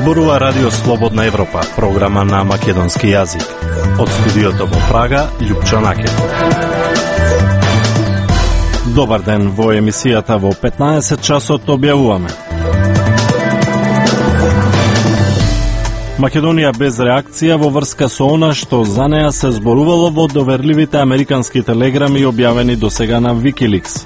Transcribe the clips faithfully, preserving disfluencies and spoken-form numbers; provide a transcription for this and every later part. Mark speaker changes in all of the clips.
Speaker 1: Зборува Радио Слободна Европа, програма на македонски јазик. Од студиото во Прага, Љупчо Накет. Добар ден, во емисијата во петнаесет часот објавуваме. Македонија без реакција во врска со она што за неа се зборувало во доверливите американски телеграми објавени досега на Wikileaks.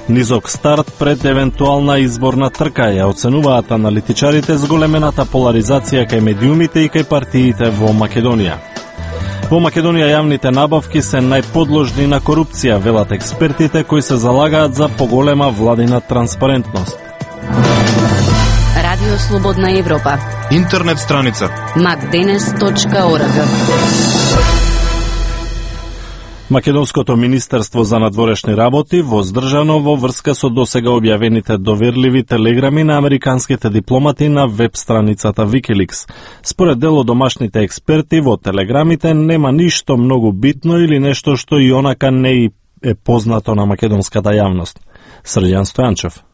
Speaker 1: Низок старт пред евентуална изборна трка ја оценуваат аналитичарите с големената поларизација кај медиумите и кај партиите во Македонија. Во Македонија јавните набавки се најподложни на корупција, велат експертите кои се залагаат за поголема владина транспарентност.
Speaker 2: Радио Слободна Европа.
Speaker 3: Интернет страница
Speaker 2: макденес точка орг.
Speaker 1: Македонското Министерство за надворешни работи воздржано во врска со досега објавените доверливи телеграми на американските дипломати на веб страницата Wikileaks. Според дел од домашните експерти, во телеграмите нема ништо многу битно или нешто што и онака не е познато на македонската јавност. Срđan Стојанчев.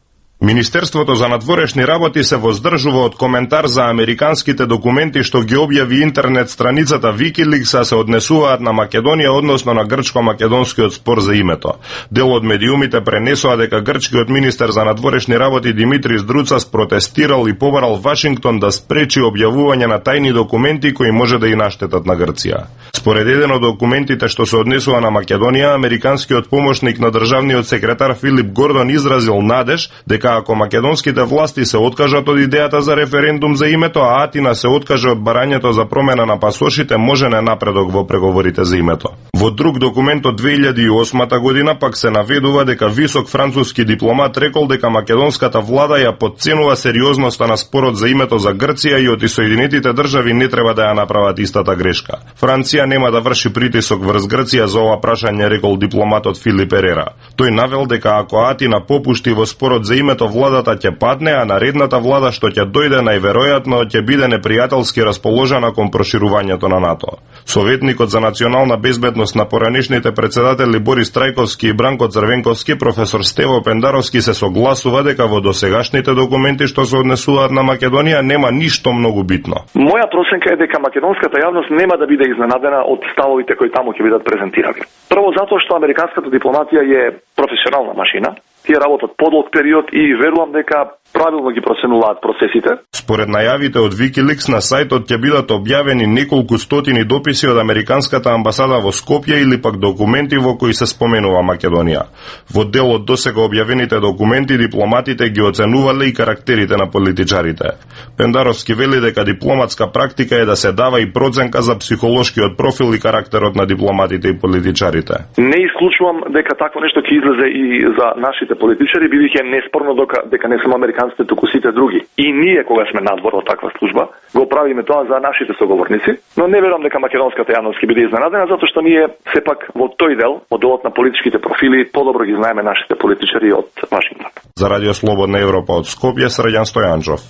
Speaker 4: Министерството за надворешни работи се воздржува од коментар за американските документи што ги објави интернет страницата Wikileaks, а се однесуваат на Македонија, односно на грчко-македонскиот спор за името. Дел од медиумите пренесоа дека грчкиот министер за надворешни работи Димитрис Друцас протестирал и побарал Вашингтон да спречи објавување на тајни документи кои може да и наштетат на Грција. Според еден од документите што се однесува на Македонија, американскиот помошник на државниот секретар Филип Гордон изразил надеж дека ако македонските власти се откажат од идејата за референдум за името, а Атина се откаже од барањето за промена на пасошите, може не напредок во преговорите за името. Во друг документ од две илјади и осма година пак се наведува дека висок француски дипломат рекол дека македонската влада ја потценува сериозноста на спорот за името за Грција и од Соединетите држави не треба да ја направат истата грешка. Франција нема да врши притисок врз Грција за ова прашање, рекол дипломатот Филип Ерера. Тој навел дека ако Атина попушти во спорот за името, владата ќе падне, а наредната влада што ќе дојде најверојатно ќе биде непријателски расположена кон проширувањето на НАТО. Советникот за национална безбедност на поранешните председатели Борис Трајковски и Бранко Црвенковски, професор Стево Пендаровски се согласува дека во досегашните документи што се однесуваат на Македонија нема ништо многу битно.
Speaker 5: Моја проценка е дека македонската јавност нема да биде изненадена од ставовите кои таму ќе бидат презентирани. Прво затоа што американската дипломатија е професионална машина. Тие работат подолг период и верувам дека правилно ги проценуваат процесите. Според најавите од Wikileaks на сајтот ќе бидат објавени неколку стотини дописи од американската амбасада во Скопје или пак документи во кои се споменува Македонија. Во дел од досега објавените документи дипломатите ги оценувале и карактерите на политичарите. Пендаровски вели дека дипломатска практика е да се дава и проценка за психолошкиот профил и карактерот на дипломатите и политичарите. Не исклучувам дека такво нешто ќе излезе и за нашите политичари, бидејќи е неспорно дека, дека не само американците, туку сите други. И ние, кога сме надвор од таква служба, го правиме тоа за нашите соговорници, но не верувам дека македонската јавност ќе биде изненадена, затоа што ние сепак во тој дел, во делот на политичките профили, подобро ги знаеме нашите политичари од Вашингтон. За Радио Слободна Европа од Скопје, Срđan Стојанчев.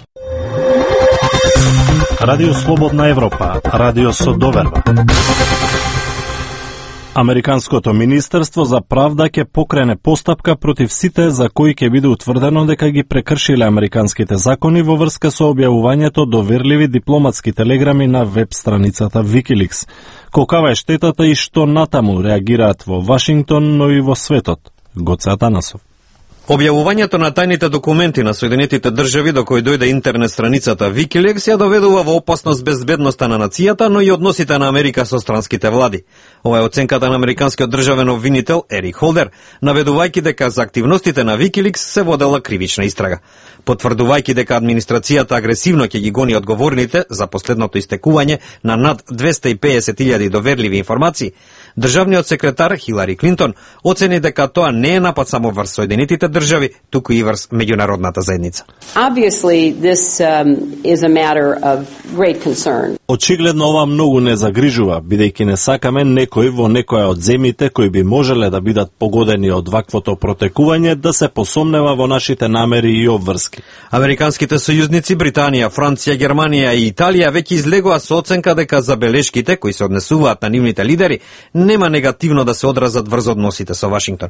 Speaker 1: Радио Слободна Европа, радио со доверба. Американското Министерство за правда ќе покрене постапка против сите за кои ќе биде утврдено дека ги прекршиле американските закони во врска со објавувањето доверливи дипломатски телеграми на веб страницата Wikileaks. Колкава е штетата и што натаму реагираат во Вашингтон, но и во светот? Гоце Атанасов.
Speaker 6: Објавувањето на тајните документи на Соединетите држави до кој дојде интернет страницата Wikileaks ја доведува во опасност безбедноста на нацијата, но и односите на Америка со странските влади. Ова е оценката на американскиот државен обвинител Ерик Холдер, наведувајќи дека за активностите на Wikileaks се водела кривична истрага. Потврдувајќи дека администрацијата агресивно ќе ги гони одговорните за последното истекување на над двесте и педесет илјади доверливи информации, државниот секретар Хилари Клинтон оцени дека тоа не е напад само врз Соединетите држави, туку и врз меѓународната заедница.
Speaker 7: Obviously, this um, is a matter of great concern.
Speaker 1: Очигледно ова многу не загрижува, бидејќи не сакаме некој во некоја од земјите кои би можеле да бидат погодени од ваквото протекување да се посомнева во нашите намери и обврски.
Speaker 6: Американските сојузници Британија, Франција, Германија и Италија веќе излегоа со оценка дека забелешките кои се однесуваат на нивните лидери нема негативно да се одразат врз односите со Вашингтон.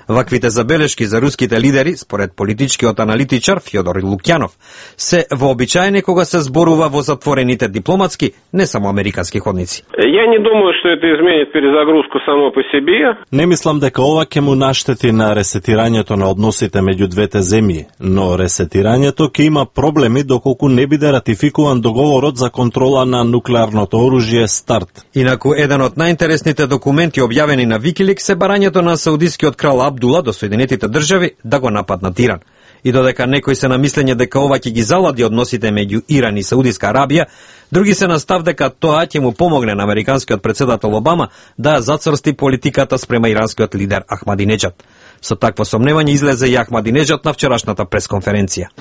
Speaker 6: Ваквите забелешки за руските македонските лидери, според политичкиот аналитичар Фјодор Лукјанов, се вообичаени кога се зборува во затворените дипломатски, не само американски ходници.
Speaker 3: Ја не думаю што это изменит перезагрузку само по себе.
Speaker 1: Не мислам дека ова ќе му наштети на ресетирањето на односите меѓу двете земји, но ресетирањето ќе има проблеми доколку не биде ратификуван договорот за контрола на нуклеарното оружје СТАРТ.
Speaker 6: Инаку еден од најинтересните документи објавени на Викиликс се барањето на саудискиот крал Абдула до Соединетите држави да го нападнат Иран. И додека некои се на мислење дека ова ќе ги залади односите меѓу Иран и Саудиска Арабија, други се на став дека тоа ќе му помогне на американскиот председател Обама да ја зацрсти политиката спрема иранскиот лидер Ахмадинеджад. Со такво сомневање излезе и Ахмадинеджад на вчерашната пресконференција.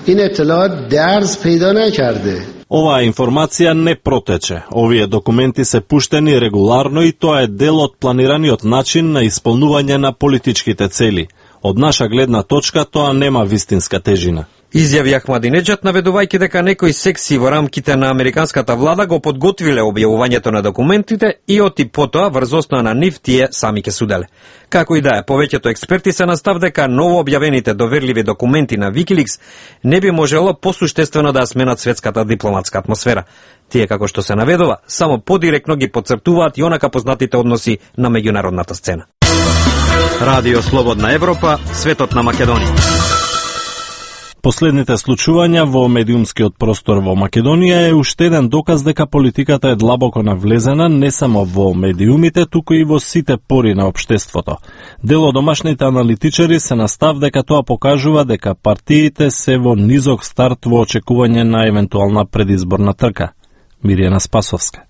Speaker 1: Оваа информација не протече. Овие документи се пуштени регуларно и тоа е дел од планираниот начин на исполнување на политичките цели. Од наша гледна точка тоа нема вистинска тежина.
Speaker 6: Изјави Ахмадинеджад наведувајќи дека некои секси во рамките на американската влада го подготвиле објавувањето на документите и оти потоа врз основа на нив тие сами ќе суделе. Како и да е, повеќето експерти се настав дека ново објавените доверливи документи на Викиликс не би можело посуштествено да сменат светската дипломатска атмосфера. Тие, како што се наведува, само подиректно ги потцртуваат и онака познатите односи на меѓународната сцена. Радио Слободна Европа, светот на Македонија.
Speaker 1: Последните случувања во медиумскиот простор во Македонија е уште еден доказ дека политиката е длабоко навлезена не само во медиумите, туку и во сите пори на општеството. Дел од домашните аналитичари се настав дека тоа покажува дека партиите се во низок старт во очекување на евентуална предизборна трка. Миријана Спасовска.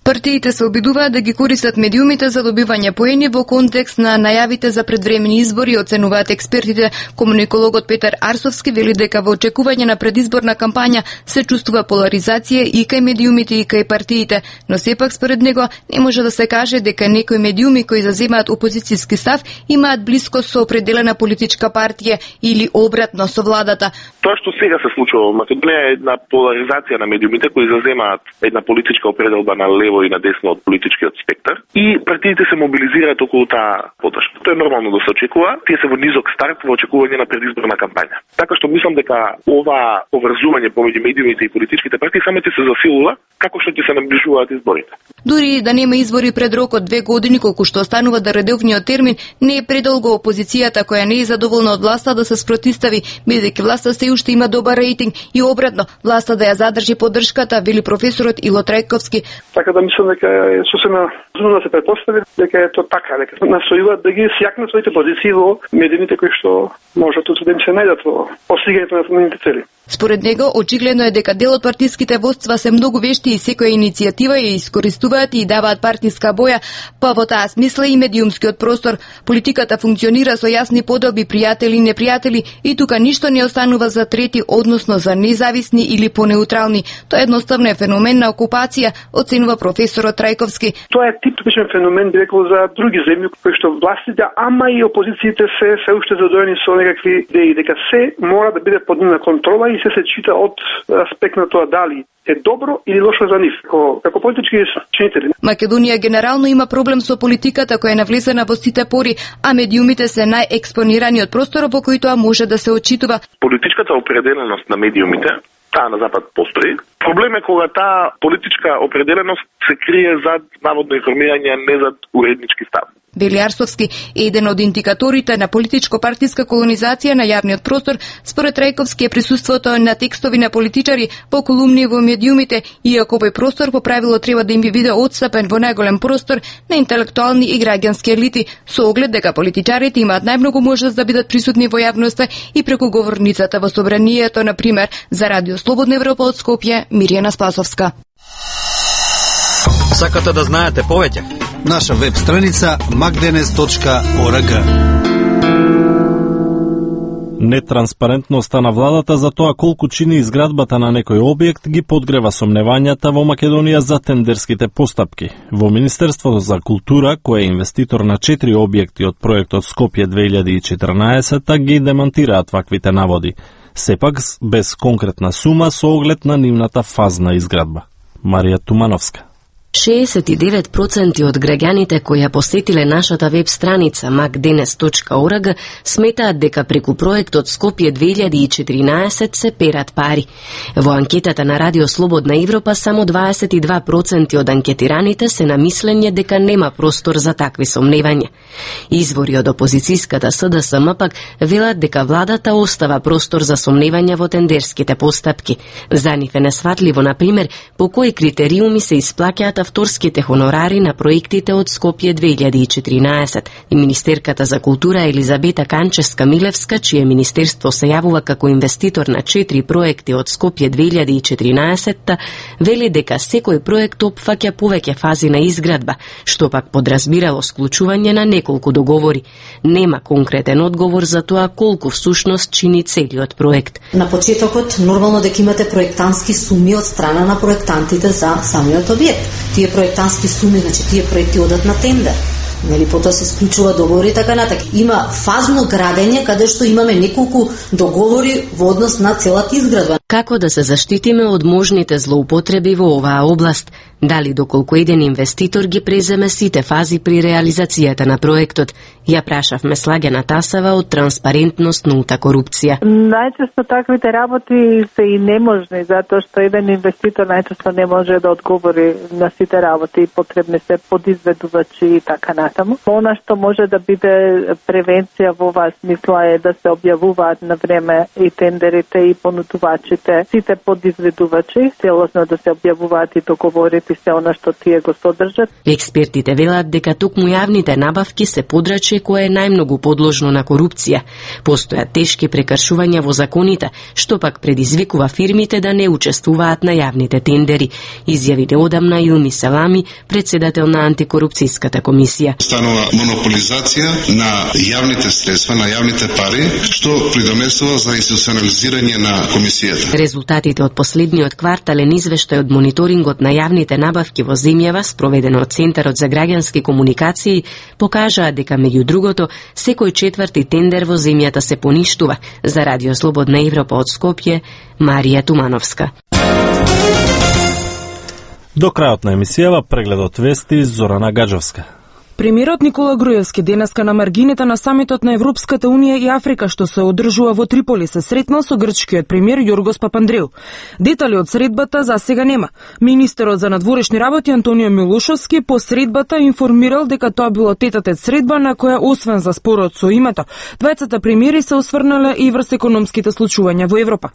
Speaker 8: Партиите се обидуваат да ги користат медиумите за добивање поени во контекст на најавите за предвремени избори, оценуваат експертите. Комуникологот Петар Арсовски вели дека во очекување на предизборна кампања се чувствува поларизација и кај медиумите и кај партиите, но сепак според него не може да се каже дека некои медиуми кои заземаат опозицијски став имаат близкост со определена политичка партија или обратно со владата.
Speaker 5: Тоа што сега се случува во Македонија е една поларизација на медиумите кои заземаат една политичка определба на лево и на десно од политичкиот спектар и партиите се мобилизираат околу таа подршка. Тоа е нормално да се очекува, тие се во низок старт во очекување на предизборна кампања. Така што мислам дека ова поврзување помеѓу медиумите и политичките партии само ќе се засилува како што ќе се наближуваат изборите.
Speaker 8: Дури да нема избори пред рок од две години, колку што останува да редовниот термин, не е предолго опозицијата која не е задоволна од власта да се спротистави, бидејќи власта се уште има добар рейтинг и обратно, власта да ја задржи поддршката, вели професорот Ило Трајковски.
Speaker 9: Така да мислам дека е сосема разумно да се претпостави дека е тоа така, дека настојуваат да ги сјакнат своите позиции во медиумите кои што можат да се најдат во постигањето на нивните цели.
Speaker 8: Според него, очигледно е дека дел од партиските водства се многу вешти и секоја иницијатива ја искористуваат и даваат партиска боја, па во таа смисла и медиумскиот простор. Политиката функционира со јасни подоби пријатели и непријатели и тука ништо не останува за трети, односно за независни или понеутрални. Тоа едноставно е феномен на окупација, оценува професорот Трајковски.
Speaker 9: Тоа е типичен феномен, би рекол, за други земји кои што властите, ама и опозициите се се уште задоени со некакви идеи дека се мора да биде под нивна контрола и се се чита од аспект на тоа дали е добро или лошо за нив, како, како политички чинители.
Speaker 8: Македонија генерално има проблем со политиката која е навлезена во сите пори, а медиумите се најекспонирани од просторот во кој тоа може да се отчитува.
Speaker 5: Политичката определеност на медиумите, таа на Запад постои. Проблем е кога таа политичка определеност се крие зад наводно информирање, а не зад уреднички став.
Speaker 8: Вели Арсовски е еден од индикаторите на политичко-партиска колонизација на јавниот простор. Според Трајковски е присуството на текстови на политичари по колумни во медиумите, иако овој простор по правило треба да им биде отстапен во најголем простор на интелектуални и граѓански елити, со оглед дека политичарите имаат најмногу можност да бидат присутни во јавноста и преку говорницата во собранието, на пример, за Радио Слободна Европа од Скопје, Миријана Спасовска.
Speaker 6: Сакате да знаете повеќе?
Speaker 10: Наша веб страница макденес точка орг.
Speaker 1: Нетранспарентноста на владата за тоа колку чини изградбата на некој објект ги подгрева сомневањата во Македонија за тендерските постапки. Во Министерството за култура, кој е инвеститор на четири објекти од проектот Скопје две илјади и четрнаесет, ги демантираат ваквите наводи. Сепак без конкретна сума со оглед на нивната фазна изградба. Марија Тумановска.
Speaker 2: шеесет и девет проценти од граѓаните кои ја посетиле нашата веб страница макденес точка орг сметаат дека преку проектот Скопје две илјади и четиринаесет се перат пари. Во анкетата на Радио Слободна Европа само дваесет и два проценти од анкетираните се на мислење дека нема простор за такви сомневања. Извори од опозицијската С Д С М пак велат дека владата остава простор за сомневања во тендерските постапки. За нив е несватливо, например, по кои критериуми се исплаќаат авторските хонорари на проектите од Скопје две илјади и четиринаесет. И министерката за култура Елизабета Канчевска-Милевска, чие министерство се јавува како инвеститор на четири проекти од Скопје две илјади и четиринаесет, вели дека секој проект опфаќа повеќе фази на изградба, што пак подразбирало склучување на неколку договори. Нема конкретен одговор за тоа колку всушност чини целиот проект.
Speaker 11: На почетокот нормално дека имате проектански суми од страна на проектантите за самиот објект. Тие проектански суми, значи тие проекти одат на тендер. Нели, потоа се склучува договори и така натаму. Има фазно градење каде што имаме неколку договори во однос на целата изградба.
Speaker 2: Како да се заштитиме од можните злоупотреби во оваа област? Дали доколку еден инвеститор ги преземе сите фази при реализацијата на проектот? Ја прашавме Слагена Тасева од Транспарентност нулта корупција.
Speaker 12: Најчесто таквите работи се и неможни, затоа што еден инвеститор најчесто не може да одговори на сите работи и потребни се подизведувачи и така натаму. Она што може да биде превенција во оваа смисла е да се објавуваат на време и тендерите и понудувачите, сите подизведувачи, целосно да се објавуваат и договорите и се она што тие го содржат.
Speaker 2: Експертите велат дека токму јавните набавки се подрачје кое е најмногу подложно на корупција. Постојат тешки прекршувања во законите, што пак предизвикува фирмите да не учествуваат на јавните тендери, изјави неодамна Илми Селами, председател на антикорупцијската комисија.
Speaker 13: Станува монополизација на јавните средства, на јавните пари, што придонесува за институционализирање на комисијата.
Speaker 2: Резултатите од последниот квартален извештај од мониторингот на јавните набавки во земјава, спроведено од Центарот за граѓански комуникации, покажаа дека меѓу другото секој четврти тендер во земјата се поништува. За Радио Слободна Европа од Скопје, Марија Тумановска.
Speaker 1: До крајот на емисијава прегледот вести Зорана Гаджовска.
Speaker 14: Премиерот Никола Груевски денеска на маргините на самитот на Европската унија и Африка што се одржува во Триполи се сретнал со грчкиот премиер Јоргос Папандреу. Детали од средбата за сега нема. Министерот за надворешни работи Антонио Милошовски по средбата информирал дека тоа било тетатет средба на која освен за спорот со името, двајцата премиери се осврнале и врз економските случувања во Европа.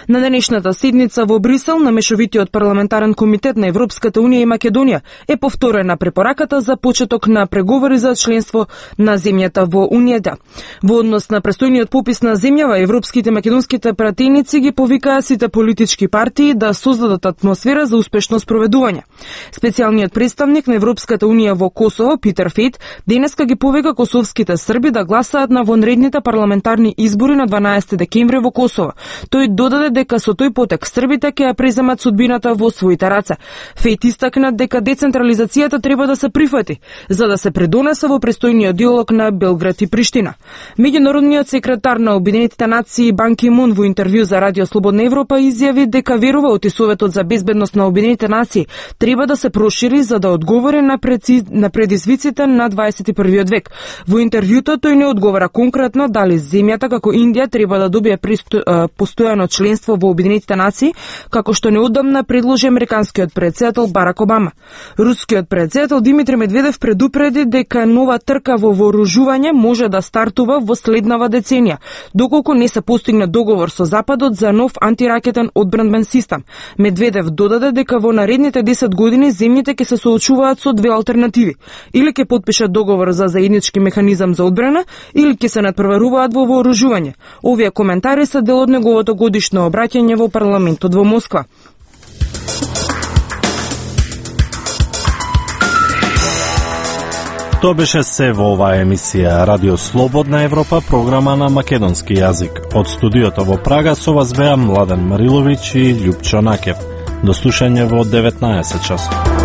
Speaker 14: На денешната седница во Брисел на мешовитиот парламентарен комитет на Европската унија и Македонија е повторена препораката за почеток на преговори за членство на земјата во Унијата. Во однос на престојниот попис на земјава, европските македонските пратеници ги повикаа сите политички партии да создадат атмосфера за успешно спроведување. Специјалниот представник на Европската унија во Косово, Питер Фейт, денеска ги повика косовските срби да гласаат на вонредните парламентарни избори на дванаесети декември во Косово. Тој додаде дека со тој потек србите ќе ја преземат судбината во своите раце. Фейт истакна дека децентрализацијата треба да се прифати, за да се предонесе во престојниот диалог на Белград и Приштина. Меѓународниот секретар на Обединетите нации Бан Ки Мун во интервју за Радио Слободна Европа изјави дека верува оти Советот за безбедност на Обединетите нации треба да се прошири за да одговори на, преци... на предизвиците на дваесет и првиот век. Во интервјуто тој не одговара конкретно дали земјата како Индија треба да добие присто... постојано членство во Обединетите нации, како што неодамна предложи американскиот претседател Барак Обама. Рускиот претседател Димитри Медведев предупреди дека нова трка во вооружување може да стартува во следнава деценија, доколку не се постигне договор со Западот за нов антиракетен одбранбен систем. Медведев додаде дека во наредните десет години земјите ќе се соочуваат со две алтернативи. Или ќе подпишат договор за заеднички механизам за одбрана, или ќе се надпреваруваат во вооружување. Овие коментари се дел од неговото годишно обраќање во парламентот во Москва.
Speaker 1: Тоа беше се во оваа емисија Радио Слободна Европа, програма на македонски јазик. Од студиото во Прага со вас беа Младен Мариловиќ и Љупчо Накев. До слушање во деветнаесет часот.